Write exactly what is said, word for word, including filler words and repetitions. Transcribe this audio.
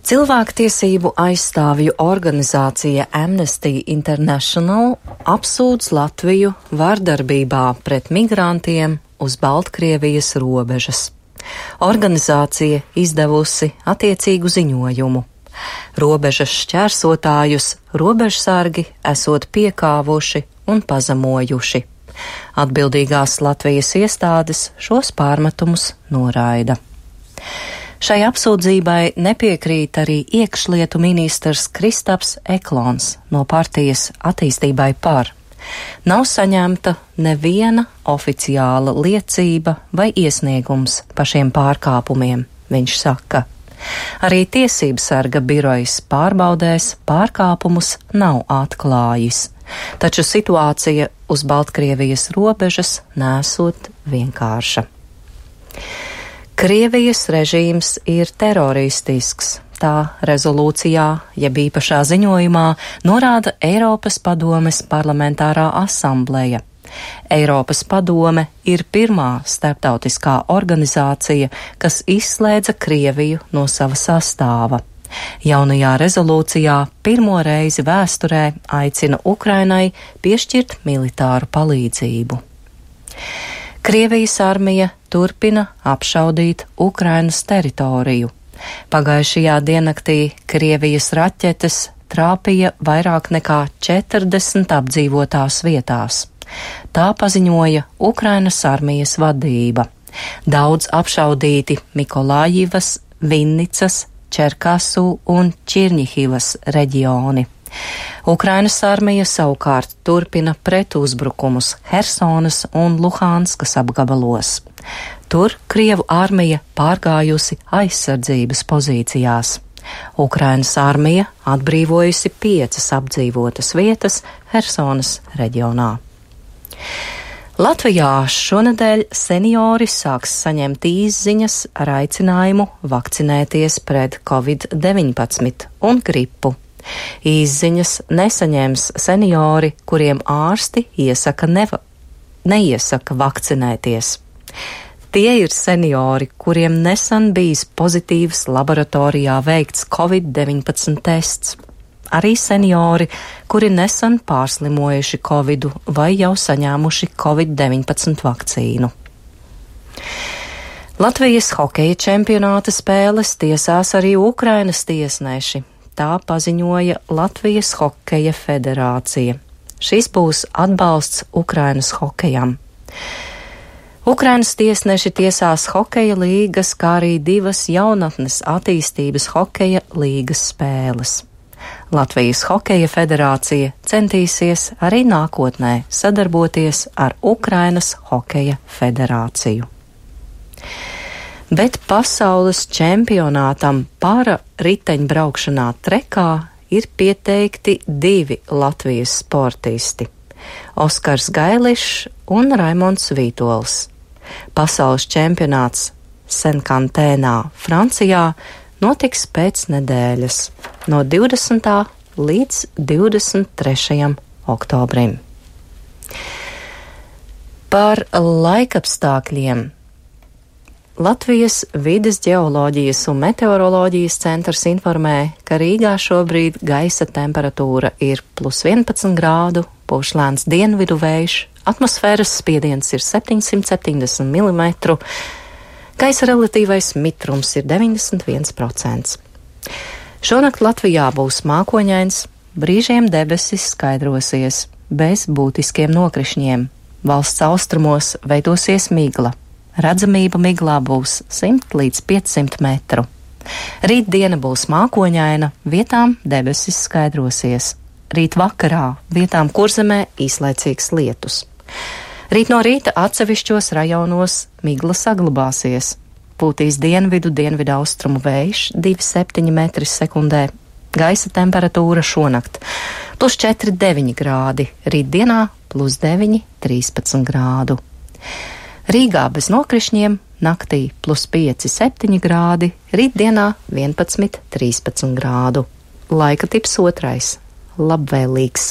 Cilvēktiesību aizstāvju organizācija Amnesty International apsūdz Latviju vardarbībā pret migrantiem uz Baltkrievijas robežas. Organizācija izdevusi attiecīgu ziņojumu. Robežas šķērsotājus robežsargi esot piekāvuši un pazemojuši. Atbildīgās Latvijas iestādes šos pārmetumus noraida. Šai apsūdzībai nepiekrīt arī iekšlietu ministrs Kristaps Eklons no partijas Attīstībai par. Nav saņemta neviena oficiāla liecība vai iesniegums par šiem pārkāpumiem, viņš saka. Arī tiesībsarga birojas pārbaudēs pārkāpumus nav atklājis, taču situācija uz Baltkrievijas robežas nesot vienkārša. Krievijas režīms ir teroristisks, tā rezolūcijā, jeb īpašā ziņojumā, norāda Eiropas padomes parlamentārā asambleja. Eiropas padome ir pirmā starptautiskā organizācija, kas izslēdza Krieviju no sava sastāva. Jaunajā rezolūcijā pirmo reizi vēsturē aicina Ukrainai piešķirt militāru palīdzību. Krievijas armija turpina apšaudīt Ukrainas teritoriju. Pagājušajā diennaktī Krievijas raķetes trāpīja vairāk nekā četrdesmit apdzīvotās vietās. Tā paziņoja Ukrainas armijas vadība. Daudz apšaudīti Mikolājivas, Vinnicas, Čerkasu un Čirņihivas reģioni. Ukrainas armija savukārt turpina pretuzbrukumus Hersonas un Luhanskas apgabalos. Tur Krievu armija pārgājusi aizsardzības pozīcijās. Ukrainas armija atbrīvojusi piecas apdzīvotas vietas Hersonas reģionā. Latvijā šonedēļ seniori sāks saņemt īsziņas ar aicinājumu vakcinēties pret covid deviņpadsmit un gripu. Īsziņas nesaņems seniori, kuriem ārsti iesaka neva, neiesaka vakcinēties. Tie ir seniori, kuriem nesen bijis pozitīvs laboratorijā veikts covid deviņpadsmit tests. Arī seniori, kuri nesen pārslimojuši covidu vai jau saņēmuši covid deviņpadsmit vakcīnu. Latvijas hokeja čempionāta spēles tiesās arī Ukrainas tiesneši. Tā paziņoja Latvijas hokeja federācija. Šis būs atbalsts Ukrainas hokejam. Ukrainas tiesneši tiesās hokeja līgas, kā arī divas jaunatnes attīstības hokeja līgas spēles. Latvijas hokeja federācija centīsies arī nākotnē sadarboties ar Ukrainas hokeja federāciju. Bet pasaules čempionātam para riteņbraukšanā trekā ir pieteikti divi Latvijas sportisti – Oskars Gailišs un Raimonds Vītols. Pasaules čempionāts Senkantēnā, Francijā, notiks pēc nedēļas, no divdesmitā līdz divdesmit trešajam oktobrim. Par laikapstākļiem. Latvijas vides ģeoloģijas un meteoroloģijas centrs informē, ka Rīgā šobrīd gaisa temperatūra ir plus vienpadsmit grādu, pūš lēns dienvidu vējš, atmosfēras spiediens ir septiņsimt septiņdesmit milimetru, gaisa relatīvais mitrums ir deviņdesmit viens procents. Šonakt Latvijā būs mākoņains, brīžiem debesis skaidrosies, bez būtiskiem nokrišņiem. Valsts austrumos veidosies migla. Redzamība miglā būs simt līdz piecsimt metru. Rīt diena būs mākoņaina, vietām debesis skaidrosies. Rīt vakarā vietām Kurzemē īslaicīgs lietus. Rīt no rīta atsevišķos rajonos migla saglabāsies. Pūtīs dienvidu, dienvidu austrumu vējš divi komats septiņi metri sekundē. Gaisa temperatūra šonakt plus četri deviņi grādi, rītdienā plus deviņi trīspadsmit grādu. Rīgā bez nokrišņiem, naktī plus pieci septiņi grādi, rītdienā vienpadsmit trīspadsmit grādu. Laika tips otrais - labvēlīgs.